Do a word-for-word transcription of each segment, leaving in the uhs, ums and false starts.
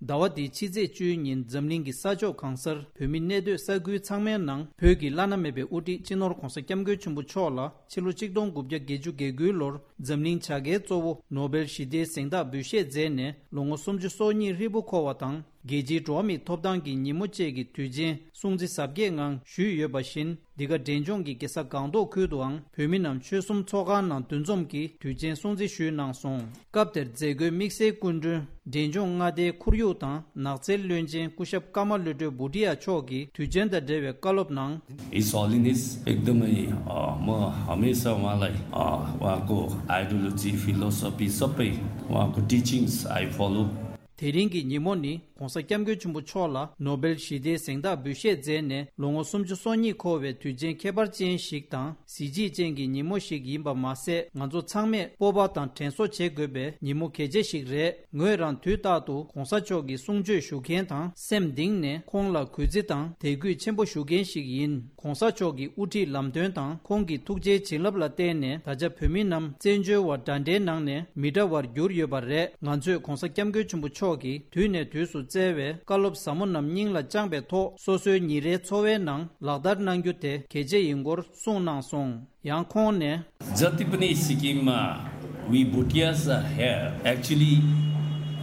ཟླ་བ་འདིའི་ཕྱི་ཚེས་བཅུའི་ཉིན་འཛམ་གླིང་གི་ས་ཕྱོགས་གང་སར་བོད་མི་གནས་སྡོད་ས་ཁུལ་ཚང་མའི་ནང་བོད་ཀྱི་བླ་ན་མེད་པའི་དབུ་ཁྲིད་སྤྱི་ནོར་༧གོང་ས་༧སྐྱབས་མགོན་ཆེན་པོ་མཆོག་ལ་ཕྱི་ལོ་ཆིག་སྟོང་དགུ་བརྒྱ་བརྒྱད་ཅུ་གྱ་དགུའི་ལོར་འཛམ་གླིང་བྱ་དགའི་གཙོ་བོ་ནོ་སྦེལ་ཞི་བདེའི་གཟེངས་རྟགས་འབུལ་བཞེས་མཛད་ནས་ལོ་ངོ་སུམ་ཅུ་སོ་གཉིས་ཧྲིལ་པོ་འཁོར་བ་དང་། རྒྱལ་སྤྱིའི་འགྲོ་བ་མིའི་ཐོབ་ཐང་གི་ཉིན་མོ་བཅས་ཀྱི་དུས་ཆེན་སྲུང་བརྩི་གཟབ་རྒྱས་ངང་ཞུས་ཡོད་པ་བཞིན། འདི་ག་འབྲས་ལྗོངས་ཀྱི་རྒྱལ་ས་སྒང་ཏོག་ཁུལ་དུའང་བོད་མི་རྣམས་ཆོལ་གསུམ་ཚོགས་ཁང་ནང་འདུ་འཛོམས་ཀྱིས་དུས་ཆེན་སྲུང་བརྩི་ཞུས་གནང་སོང་། སྐབས་དེར་མཛད་སྒོའི་དམིགས་བསལ་སྐུ་མགྲོན་འབྲས་ལྗོངས་མངའ་སྡེའི་ཁོར་ཡུག་དང་ནགས་ཚལ་བློན་ཆེན་སྐུ་ཞབས་ཀརྨ་བློ་གྲོས་བྷུ་ཏི་ཡ་མཆོག་གིས་དུས་ཆེན་དང་འབྲེལ་བའི་བཀའ་སློབ་ནང་། His Holiness, एकदमै, अ, म हमेसा उहाँलाई, अ, उहाँको आइडियोलोजी, फिलोसफी सबै, उहाँको टिचिङ्स आई फलो। དེ་རིང་གི་ཉིན་མོ་ནི་༧གོང་ས་༧སྐྱབས་མགོན་ཆེན་པོ་མཆོག་ལ་ནོ་སྦེལ་ཞི་བདེའི་གཟེངས་རྟགས་འབུལ་བཞེས་མཛད་ནས་ལོ་ངོ་སུམ་ཅུ་སོ་གཉིས་འཁོར་བའི་དུས་ཆེན་ཁྱད་པར་ཅན་ཞིག་དང་གཟི་བརྗིད་ཅན་གྱི་ཉིན་མོ་ཞིག་ཡིན་པ་མ་ཟད། ང་ཚོ་ཚང་མས་སྤོབས་པ་དང་དྲན་གསོ་བྱེད་དགོས་པའི་ཉིན་མོ་གལ་ཆེ་ཞིག་རེད། ངོས་རང་དུས་རྟག་ཏུ་༧གོང་ས་མཆོག་གི་གསུང་ཆོས་ཞུ་མཁན་དང་སེམས་གཏིང་ནས་ཁོང་ལ་གུས་བརྩི་དང་དད་གུས་ཆེན་པོ་ཞུ་མཁན་ཞིག་ཡིན། ༧གོང་ས་མཆོག་གི་དབུ་ཁྲིད་ལམ་སྟོན་དང་ཁོང་གི་ཐུགས་རྗེའི་བྱིན་རླབས་ལ་བརྟེན་ནས་ད་ཆ་བོད་མི་རྣམས་བཙན་བྱོལ་བ་འདྲ་འདྲའི་ནང་ནས་མི་འདྲ་བར་གྱུར་ཡོད་པ་རེད། ང་ཚོས་༧གོང་ས་༧སྐྱབས་མགོན་ཆེན་པོ་མཆོག་གིས་དུས་ནས་དུས་སུ་བསྩལ་བའི་བཀའ་སློབ་ཟབ་མོ་རྣམས་སྙིང་ལ་བཅངས་པའི་ཐོག་སོ་སོའི་ཉིན་རེའི་འཚོ་བའི་ནང་ལག་བསྟར་གནང་རྒྱུ་དེ་གལ་ཆེ་ཡིན་སྐོར་གསུངས་གནང་སོང་། ཡང་ཁོང་ནས། जति पनि सिक्किममा we Bhutias are here, actually,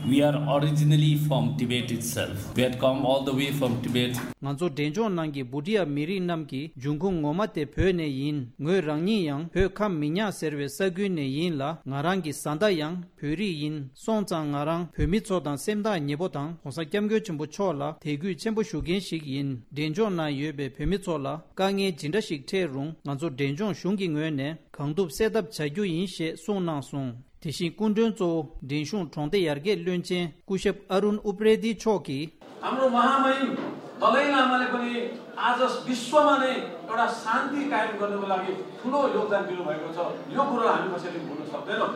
we are originally from Tibet itself. We had come all the way from Tibet. ང་ཚོ་འབྲས་ལྗོངས་ནང་གི་བྷུ་ཏི་ཡ་མི་རིགས་རྣམས་ཀྱི་འབྱུང་ཁུངས་ངོ་མ་དེ་བོད་ནས་ཡིན། ངོས་རང་ཉིད་ཡང་བོད་ཁམས་མི་ཉག་ཟེར་བའི་ས་ཁུལ་ནས་ཡིན་ལ། ང་རང་གི་བཟའ་ཟླ་ཡང་བོད་རིགས་ཡིན། སོང་ཙང་ང་རང་བོད་མི་ཚོ་དང་སེམས་ཐག་ཉེ་པོ་དང་༧གོང་ས་༧སྐྱབས་མགོན་ཆེན་པོ་མཆོག་ལ་དད་གུས་ཆེན་པོ་ཞུ་མཁན་ཞིག་ཡིན། འབྲས་ལྗོངས་ནང་ཡོད་པའི་བོད་མི་ཚོ་ལ་དཀའ་ངལ་ཇི་འདྲ་ཞིག་འཕྲད་རུང་ང་ཚོ་འབྲས་ལྗོངས་གཞུང་གི་ངོས་ནས་གང་ཐུབ་སེལ་ཐབས་བྱ་རྒྱུ་ཡིན་ཞེས་གསུངས་གནང་སོང་། དེ་བཞིན་སྐུ་མགྲོན་གཙོ་བོ་འབྲིང་གཞུང་གྲོང་སྡེ་ཡར་རྒྱས་བློན་ཆེན་སྐུ་ཞབས་ཨ་རུན་ཨུ་པྲེ་ཏི་མཆོག་གིས། हाम्रो महामहिम दलाई लामाले पनि आज विश्वमा नै एउटा शान्ति कायम गर्नको लागि ठुलो योगदान दिनुभएको छ। यो कुरो हामी कसैले भुल्न सक्दैनौँ।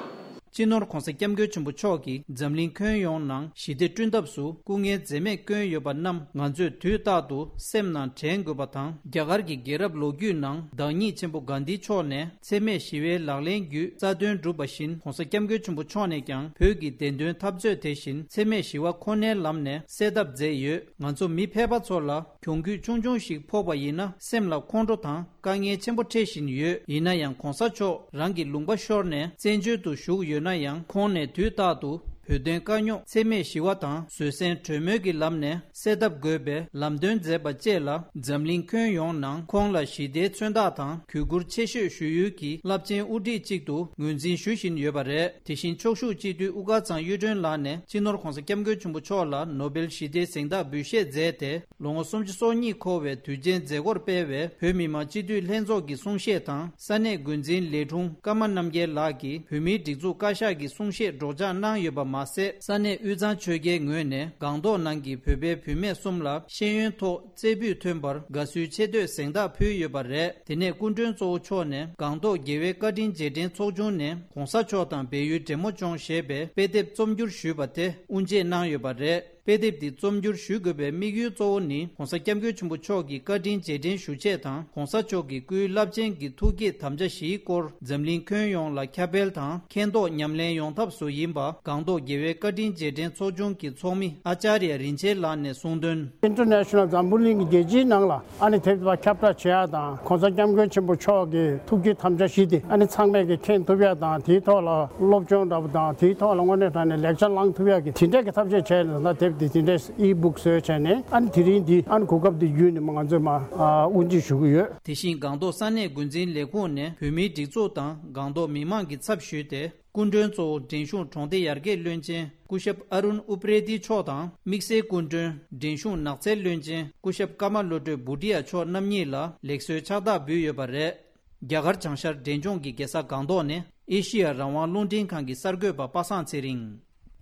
སྤྱི་ནོར་༧གོང་ས་༧སྐྱབས་མགོན་ཆེན་པོ་མཆོག་གིས་འཛམ་གླིང་ཁྱོན་ཡོངས་ནང་ཞི་བདེ་བསྐྲུན་ཐབས་སུ་སྐུ་ངལ་འཛེམས་མེད་བསྐྱོན་ཡོད་པ་རྣམས་ང་ཚོས་དུས་རྟག་ཏུ་སེམས་ནང་དྲན་དགོས་པ་དང་། རྒྱ་གར་གྱི་རྒྱལ་རབས་ལོ་རྒྱུས་ནང་བདག་ཉིད་ཆེན་པོ་གྷན་དྷི་མཆོག་ནས་འཚེ་མེད་ཞི་བའི་ལག་ལེན་བརྒྱུད་རྩ་དོན་བསྒྲུབས་པ་བཞིན། ༧གོང་ས་༧སྐྱབས་མགོན་ཆེན་པོ་མཆོག་ནས་ཀྱང་བོད་ཀྱི་བདེན་དོན་འཐབ་རྩོད་དེ་བཞིན་འཚེ་མེད་ཞི་བ་ཁོ་ནའི་ལམ་ནས་སེལ་ཐབས་མཛད་ཡོད། ང་ཚོ་མི་ཕལ་པ་ཚོ་ལ་གྱོང་གུད་ཆུང་ཆུང་ཞིག་ཕོག་པ་ཡིན་ན་སེམས་ལ་ཁོང་ཁྲོ་དང་དཀའ་ངལ་ཆེན་པོ་འཕྲད་བཞིན་ཡོད། ཡིན་ན་ཡང་༧གོང་ས་མཆོག་རང་གི་ལུང་པ་ཤོར་ནས་བཙན་བྱོལ་དུ་བཞུགས་ཡོད་ན་ཡང་། ཁོང་ནས་དུས་རྟག་ཏུ་བོད་དོན་དཀའ་རྙོག་འཚེ་མེད་ཞི་བ་དང་བཟོད་བསྲན་གྲོས་མོལ་གྱི་ལམ་ནས་སེལ་ཐབས་དགོས་པའི་ལམ་སྟོན་མཛད་པ་བཅས་ལ། འཛམ་གླིང་ཁྱོན་ཡོངས་ནང་ཁོང་ལ་ཞི་བདེའི་མཚོན་རྟགས་དང་གུས་བཀུར་ཆེ་ཤོས་ཞུ་ཡུལ་གྱི་རླབས་ཆེན་དབུ་ཁྲིད་ཅིག་ཏུ་ངོས་འཛིན་ཞུ་བཞིན་ཡོད་པ་རེད། དེ་བཞིན་ཕྱོགས་བཞུགས་སྤྱི་འཐུས་དབུ་དཀར་ཚང་གཡུ་སྒྲོན་ལགས་ནས་སྤྱི་ནོར་༧གོང་ས་༧སྐྱབས་མགོན་ཆེན་པོ་མཆོག་ལ་ནོ་སྦེལ་ཞི་བདེའི་གཟེངས་རྟགས་འབུལ་བཞེས་མཛད་དེ། ལོ་ངོ་སུམ་ཅུ་སོ་གཉིས་འཁོར་བའི་དུས་ཆེན་མཛད་སྒོར་སྤེལ་བའི་བོད་མི་མང་སྤྱི་འཐུས་ལྷན་ཚོགས་ཀྱི་གསུང་བཤད་དང་། ས་གནས་འགོ་འཛིན་ལས་དྲུང་ཀརྨ་རྣམ་རྒྱལ་ལགས་ཀྱིས་བོད་མིའི་སྒྲིག་འཛུགས་བཀའ་ཤག་གི་གསུང་བཤད་སྒྲོག་སྦྱང་གནང་ཡོད་པ་མ་ཟད། ས་གནས་དབུས་གཙང་ཆོལ་ཁའི་ངོས་ནས་སྒང་ཏོག་ནང་གི་བོད་པའི་བུད་མེད་གསུམ་ལ་ཤེས་ཡོན་ཐོག་རྩེ་ཕུད་ཐོན་པར་དགའ་བསུའི་ཆེ་བསྟོད་གཟེངས་རྟགས་ཕུལ་ཡོད་པ་རེད། དེ་ནས་སྐུ་མགྲོན་གཙོ་བོ་མཆོག་ནས་སྒང་ཏོག་རྒྱལ་བའི་བཀའ་དྲིན་རྗེས་དྲན་ཚོགས་ཆུང་ནས་༧གོང་ས་མཆོག་དང་བལ་ཡུལ་འབྲས་མོ་ལྗོངས་ཞེས་པའི་དཔེ་དེབ་རྩོམ་སྒྱུར་ཞུས་པ་དེ་དབུ་འབྱེད་གནང་ཡོད་པ་རེད། དཔེ་དེབ་འདི་རྩོམ་སྒྱུར་ཞུ་དགོས་པའི་དམིགས་ཡུལ་གཙོ་བོ་ནི། ༧གོང་ས་༧སྐྱབས་མགོན་ཆེན་པོ་མཆོག་གི་བཀའ་དྲིན་རྗེས་དྲན་ཞུ་ཆེད་དང་། ༧གོང་ས་མཆོག་གི་སྐུའི་རླབས་ཆེན་གྱི་ཐུགས་བསྐྱེད་དམ་བཅའ་བཞིའི་སྐོར་འཛམ་གླིང་ཁྱོན་ཡོངས་ལ་ཁྱབ་སྤེལ་དང་། མཁྱེན་རྟོགས་ཉམས་ལེན་ཡོང་ཐབས་སུ་ཡིན་པ། སྒང་ཏོག་རྒྱལ་བའི་བཀའ་དྲིན་རྗེས་དྲན་ཚོགས་ཆུང་གི་ཚོགས་མི་ཨ་ཅཱརྱ་རིན་ཆེན་ལགས་ནས་གསུངས་དོན། International འཛམ་བུ་གླིང་གི་རྒྱལ་སྤྱིའི་ནང་ལ་ཨ་ནི་དེབ་དེ་ཁྱབ་བསྒྲགས་བྱེད་ཡ་དང་། ༧གོང་ས་༧སྐྱབས་མགོན་ཆེན་པོ་མཆོག་གི་ཐུགས་བསྐྱེད་དམ་བཅའ་བཞི་དེ་ཨ་ནི་ཚང་མས་ཀྱི་མཁྱེན་ཐུབ་ཡ་དང་། དེའི་ཐོག་ལ་སློབ་སྦྱོང་འདྲ་པོ་དང་། དེའི་ཐོག་ལ་དངོས་གནས་དྲང་གནས་ལེགས་ཆ་བླང་ཐུབ་ཡ་གི་དེ་འདྲས་ཀྱི་ཐབས་ཤེས་བྱས་ནས་ད་དེབ་དེ་དེ་འདྲས་ཨི་བུག་བཟོས་བྱས་ནས། ཨ་ནི་དེ་རིང་འདི་ཨ་ནི་གོ་སྐབས་འདི་བརྒྱུད་ནས་མ་ང་ཚོས་མ་ཨ་དབུ་འབྱེད་ཞུ་གི་ཡོད། དེ་བཞིན་སྒང་ཏོག་ས་གནས་འགོ་འཛིན་ལས་ཁུངས་ནས་བོད་མིའི་སྒྲིག་འཛུགས་དང་སྒང་ཏོག་མི་མང་གི་ཚབ་ཞུས་ཏེ། སྐུ་མགྲོན་གཙོ་བོ་འབྲིང་གཞུང་གྲོང་སྡེ་ཡར་རྒྱས་བློན་ཆེན་སྐུ་ཞབས་ཨ་རུན་ཨུ་པྲེ་ཏི་མཆོག་དང་། དམིགས་བསལ་སྐུ་མགྲོན་འབྲིང་གཞུང་ནགས་ཚལ་བློན་ཆེན་སྐུ་ཞབས་ཀརྨ་བློ་གྲོས་བྷུ་ཏི་ཡ་མཆོག་རྣམ་གཉིས་ལ་ལེགས་གསོལ་ཕྱག་རྟགས་འབུལ་ཡོད་པ་རེད། རྒྱ་གར་བྱང་ཤར་འབྲས་ལྗོངས་ཀྱི་རྒྱལ་ས་སྒང་ཏོག་ནས་ཨེ་ཤི་ཡ་རང་དབང་རླུང་འཕྲིན་ཁང་གི་གསར་འགོད་པ་པ་སངས་ཚེ་རིང་།